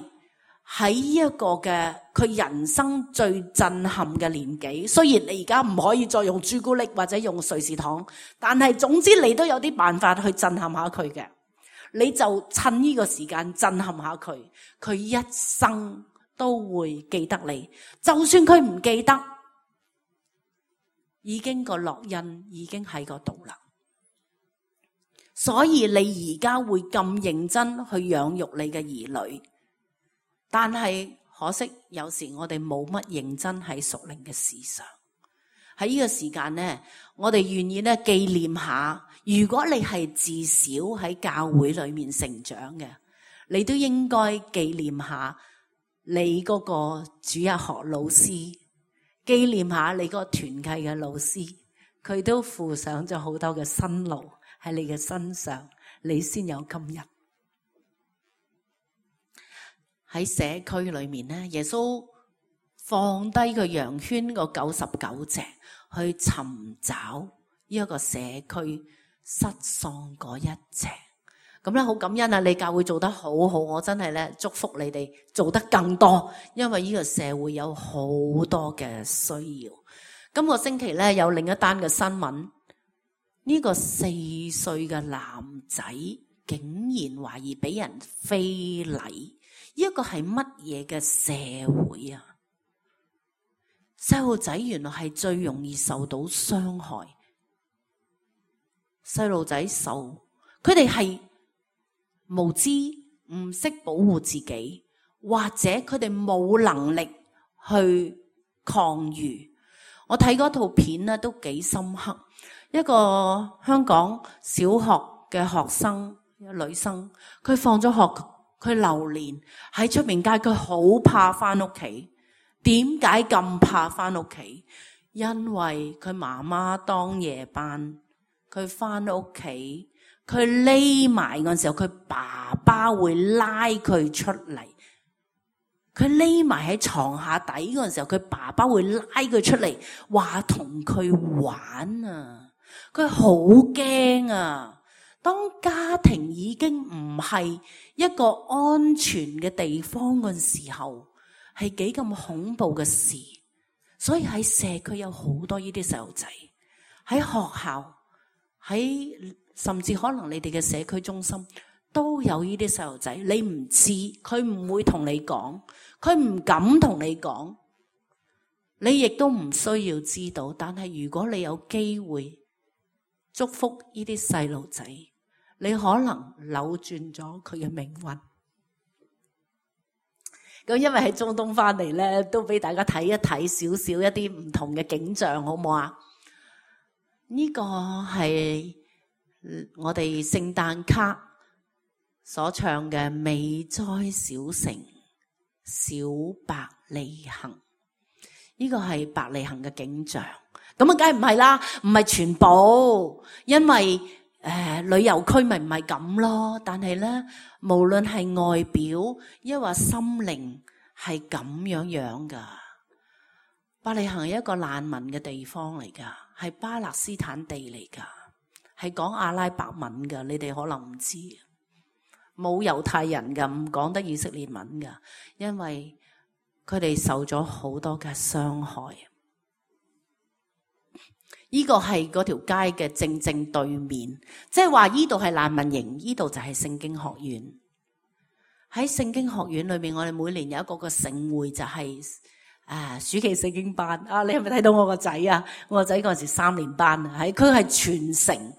喺呢一個嘅佢人生最震撼嘅年紀，雖然你而家唔可以再用朱古力或者用瑞士糖，但係總之你都有啲辦法去震撼下佢嘅，你就趁呢個時間震撼下佢，佢一生都會記得你。就算佢唔記得，已經個烙印已經喺嗰度啦。所以你而家會咁認真去養育你嘅兒女，但係可惜有時我哋冇乜認真喺屬靈嘅事上。喺呢個時間呢，我哋願意咧紀念下，如果你係自小喺教會裏面成長嘅，你都應該紀念下你嗰個主日學老師，紀念下你嗰個團契嘅老師，佢都付上咗好多嘅辛勞喺你嘅身上，你先有今日。喺社區裏面咧，耶穌放低個羊圈個九十九隻，去尋找呢一個社區失喪嗰一隻。咁咧好感恩啊！你教會做得好好，我真係咧祝福你哋做得更多，因為呢個社會有好多嘅需要。今個星期咧有另一單嘅新聞。呢個四歲嘅男仔竟然懷疑俾人非禮，呢一個係乜嘢嘅社會啊？細路仔原來係最容易受到傷害，細路仔受，佢哋係無知，唔識保護自己，或者佢哋冇能力去抗禦。我睇嗰套片咧都幾深刻。一個香港小學嘅學生，一個女生，佢放咗學，佢流連喺出面街，佢好怕翻屋企。點解咁怕翻屋企？因為佢媽媽當夜班，佢翻屋企，佢匿埋嗰陣時候，佢爸爸會拉佢出嚟。佢匿埋喺床下底嗰陣時候，佢爸爸會拉佢出嚟，話同佢玩啊！佢好驚啊！當家庭已經唔係一個安全嘅地方嗰陣時候，係幾咁恐怖嘅事。所以喺社區有好多呢啲細路仔，喺學校，喺甚至可能你哋嘅社區中心都有呢啲細路仔。你唔知，佢唔會同你講，佢唔敢同你講，你亦都唔需要知道。但係如果你有機會祝福呢啲細路仔，你可能扭轉咗佢嘅命運。咁因為喺中東翻嚟咧，都俾大家睇一睇少少一啲唔同嘅景象，好唔好啊？呢個係我哋聖誕卡所唱嘅《美哉小城，小伯利恆》。呢個係伯利恆嘅景象。咁啊，梗係唔係啦，唔係全部，因為誒、呃、旅遊區咪唔係咁咯。但係咧，無論係外表抑或心靈，係咁樣樣噶。伯利恆係一個難民嘅地方嚟噶，係巴勒斯坦地嚟噶，係講阿拉伯文噶。你哋可能唔知，冇猶太人噶，唔講得以色列文噶，因為佢哋受咗好多嘅傷害。呢個係嗰條街嘅正正對面，即係話呢度係難民營，呢度就係聖經學院。喺聖經學院裏面，我哋每年有一個個盛會，就係、是、啊暑期聖經班。啊，你係咪睇到我個仔啊？我個仔嗰陣時三年班啊，喺佢係全城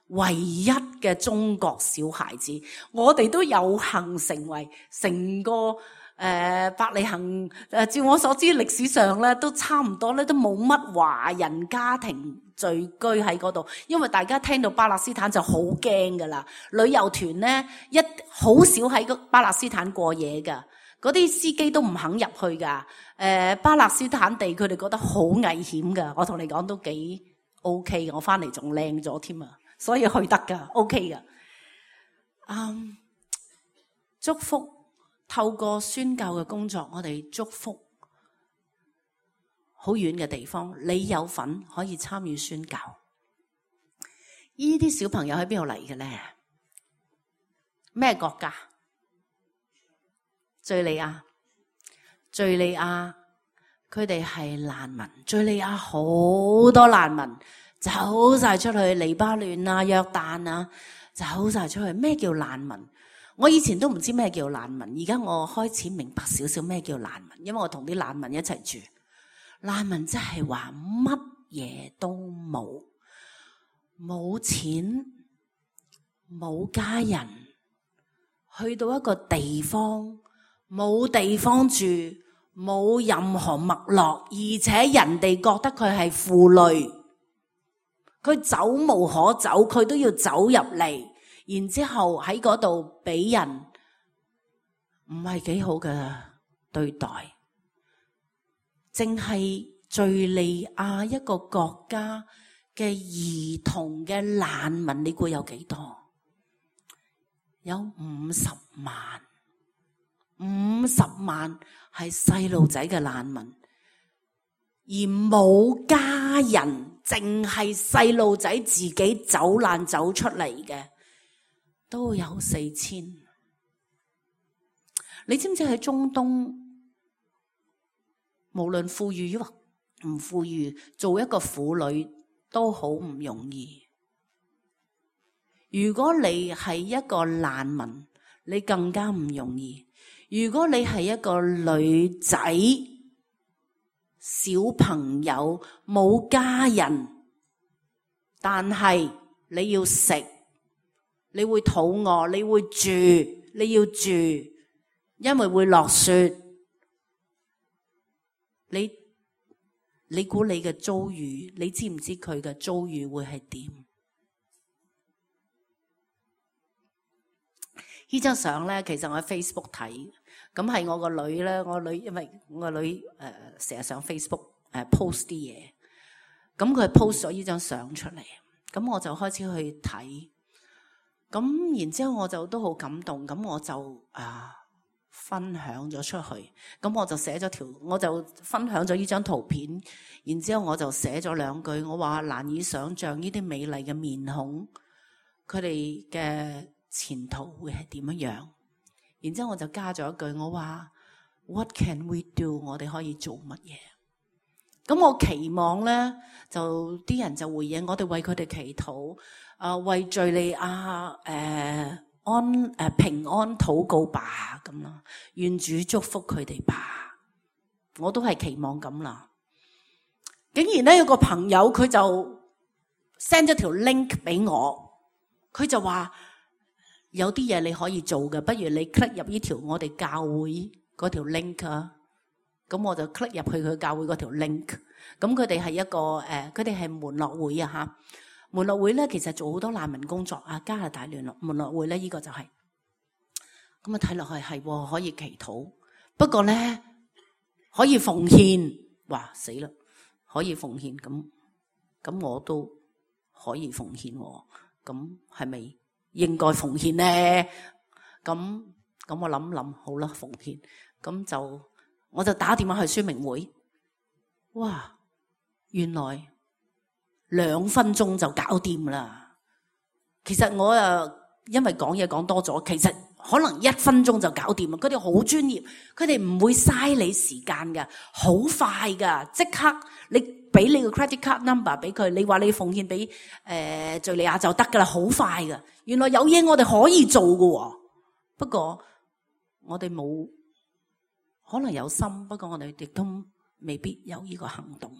唯一嘅中國小孩子。我哋都有幸成為成個。誒、呃，伯利恆誒，照我所知歷史上咧都差唔多咧，都冇乜華人家庭聚居喺嗰度，因為大家聽到巴勒斯坦就好驚噶啦。旅遊團咧一好少喺個巴勒斯坦過夜噶，嗰啲司機都唔肯入去噶。誒、呃，巴勒斯坦地佢哋覺得好危險噶，我同你講都幾 OK，我翻嚟仲靚咗添啊，所以去得噶 OK 噶。嗯，祝福透過宣教嘅工作，我哋祝福好遠嘅地方，你有份可以參與宣教。呢啲小朋友喺邊度嚟嘅咧？咩國家？敘利亞。敘利亞佢哋係難民，敘利亞好多難民走晒出去，黎巴嫩啊、約旦啊，走晒出去。咩叫難民？我以前都唔知咩叫難民，而家我開始明白少少咩叫難民，因為我同啲難民一齊住。難民即係話乜嘢都冇，冇錢，冇家人，去到一個地方冇地方住，冇任何脈絡，而且人哋覺得佢係負累，佢走無可走，佢都要走入嚟，然之後喺嗰度俾人唔係幾好嘅對待。淨係敘利亞一個國家嘅兒童嘅難民，你估有幾多？有五十萬，五十萬係細路仔嘅難民，而冇家人，淨係細路仔自己走難走出嚟嘅，都有四千。你知唔知喺中東，無論富裕或唔富裕，做一個婦女都好唔容易。如果你係一個難民，你更加唔容易。如果你係一個女仔、小朋友冇家人，但係你要食，你會肚餓，你會住，你要住，因為會落雪。你你估你嘅遭遇，你知唔知佢嘅遭遇會係點？呢張相咧，其實我喺 Facebook 睇，咁係我個女咧，我女因為我個女誒成日上 Facebook 誒、呃、post 啲嘢，咁佢 post 咗呢張相出嚟，咁我就開始去睇，咁然之後我就都好感動，咁我就啊分享咗出去，咁我就寫咗條，我就分享咗呢張圖片，然之後我就寫咗兩句，我話難以想像呢啲美麗嘅面孔，佢哋嘅前途會係點樣樣？然之後我就加咗一句，我話 What can we do？ 我哋可以做乜嘢？咁我期望咧，就啲人就回應我哋為佢哋祈禱，啊、呃、為敘利亞誒、呃、安誒、呃、平安禱告吧，咁啦，願主祝福佢哋吧。我都係期望咁啦。竟然咧有個朋友佢就 send 咗條 link 俾我，佢就話。有啲嘢你可以做嘅，不如你 click 入呢條我哋教會嗰條 link 啊。咁我就 click 入去佢教會嗰條 link。咁佢哋係一個誒，佢哋係門諾會啊嚇。門諾會咧其實做好多難民工作啊，加拿大聯絡門諾會咧，呢、這個就係、是。咁啊睇落去係可以祈禱，不過咧可以奉獻。哇死啦！可以奉獻咁，咁我都可以奉獻喎。咁係咪？應該奉獻咧，咁咁我諗諗好啦，奉獻，咁就我就打電話去宣明會，哇，原來兩分鐘就搞掂啦。其實我啊，因為講嘢講多咗，其實可能一分鐘就搞掂啦。佢哋好專業，佢哋唔會嘥你時間㗎，好快㗎，即刻你俾你個 credit card number 俾佢，你話你奉獻俾誒敘利亞就得㗎啦，好快㗎。原來有嘢我哋可以做㗎，不過我哋冇，可能有心，不過我哋亦都未必有呢個行動。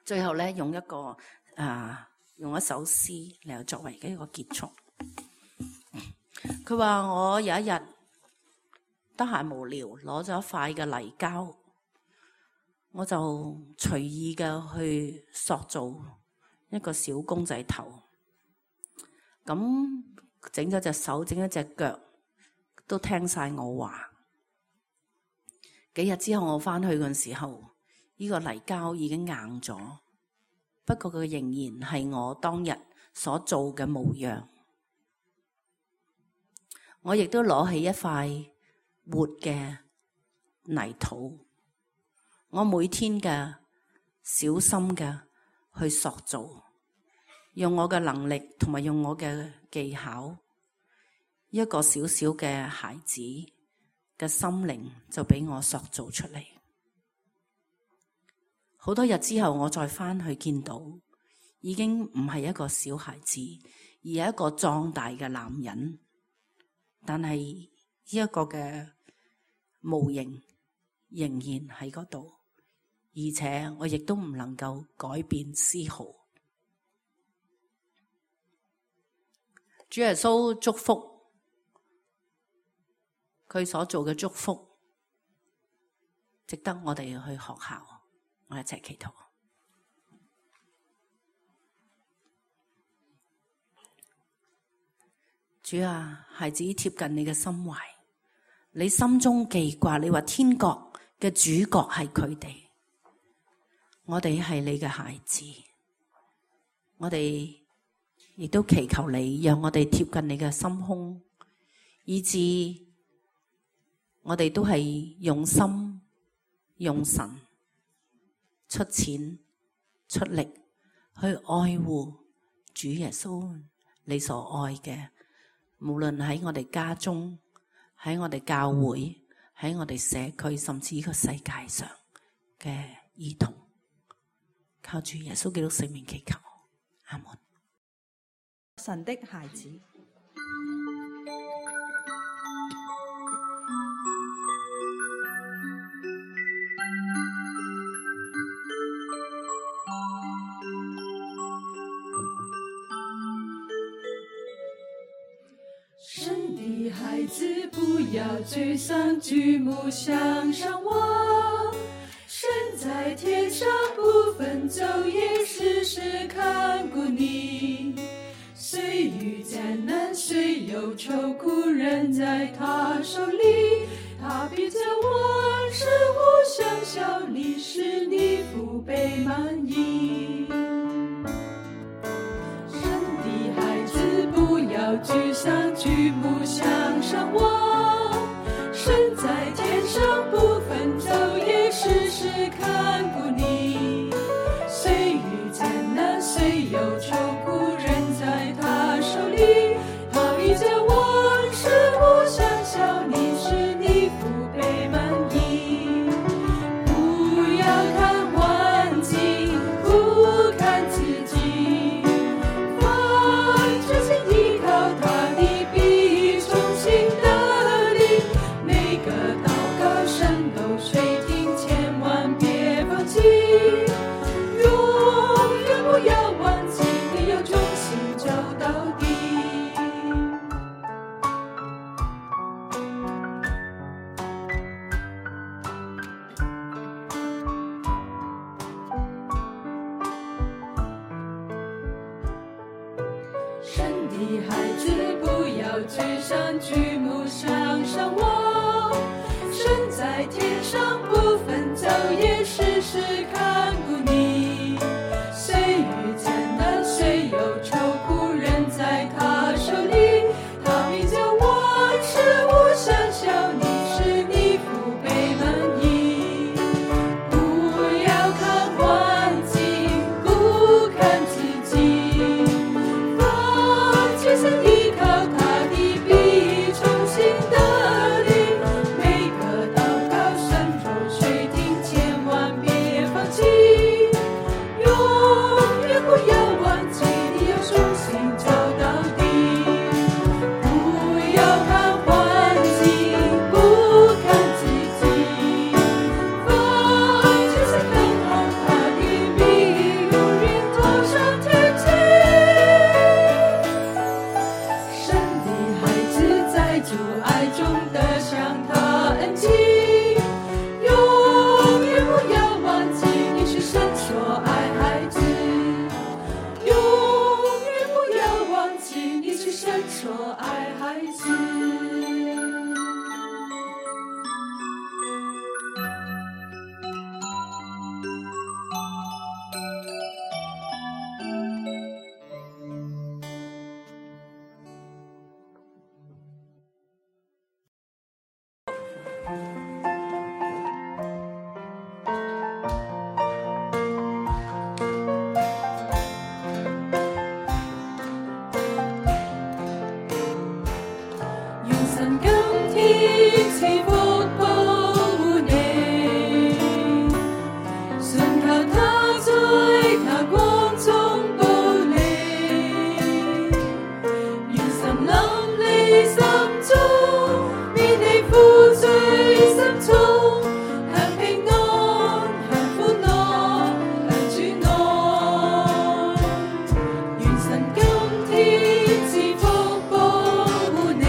最後咧，用一個啊，用一首詩嚟作為一個結束。佢話我有一日得閒無聊，攞咗一塊嘅泥膠。我就隨意嘅去塑造一個小公仔頭，咁整咗隻手，整咗隻腳，都聽晒我話。幾日之後我翻去嘅時候，呢個泥膠已經硬咗，不過佢仍然係我當日所做嘅模樣。我亦都攞起一塊活嘅泥土，我每天嘅小心嘅去塑造，用我嘅能力同埋用我嘅技巧，一個小小嘅孩子嘅心靈就俾我塑造出嚟。好多日之後，我再翻去見到，已經唔係一個小孩子，而係一個壯大嘅男人。但係呢一個嘅模型仍然喺嗰度，而且我亦都唔能夠改變絲毫。主耶穌祝福佢所做嘅祝福，值得我哋去學效。我一齊祈禱。主啊，孩子貼近你嘅心懷，你心中記掛，你話天國嘅主角係佢哋，我哋係你嘅孩子，我哋亦都祈求你，讓我哋貼近你嘅心胸，以致我哋都係用心用神出錢出力去愛護主耶穌你所愛嘅。無論喺我哋家中，喺我哋教會，喺我哋社區，甚至呢個世界上嘅兒童，靠住耶穌基督聖名祈求，阿門。神的孩子，神的孩子，不要沮喪，舉目向上望。神在天上不分晝夜，時時看顧你。雖遇艱難，雖有愁苦，人在他手裡，他必將萬事互相效力，使你福杯滿溢。神的孩子，不要沮喪，舉目向上望。神在天上不分晝夜，時時看顧你。雖遇艱難，雖有愁苦，人在他手裡，他必將萬事互相效力，使你福杯滿溢。不要看環境，不看自己，凡專心依靠他的，必重新得力。每個禱告神都垂聽，千萬別放棄，永遠不要忘記，你要忠心走到底。神的孩子，不要沮喪，舉目向上望。神在天上不分晝夜，時時看顧你。雖遇艱難，雖有愁苦，人在他手裡，他必將萬事互相效力，使你福杯滿溢。不要看環境，不看自己，凡決心依靠他的，必重新得力。賜福保護你，信靠他在他光中保你，願神臨你心中，免你負罪深重，享平安，享歡樂，享主愛。願神今天賜福保護你，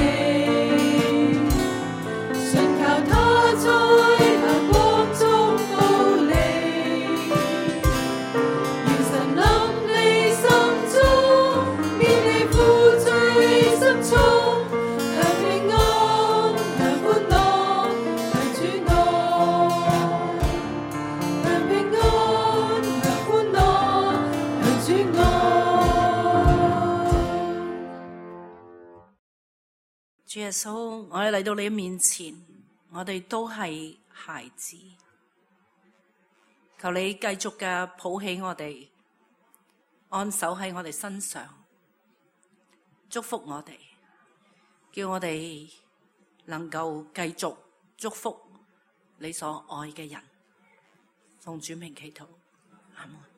信靠他在他光中保你，願神臨你心中，免你負罪深重，享平安，享歡樂，享主愛。享平安，享歡樂，享主愛。主耶穌，我哋嚟到你面前，我哋都係孩子，求你繼續嘅抱起我哋，安守喺我哋身上，祝福我哋，叫我哋能夠繼續祝福你所愛嘅人。奉主名祈禱，阿門。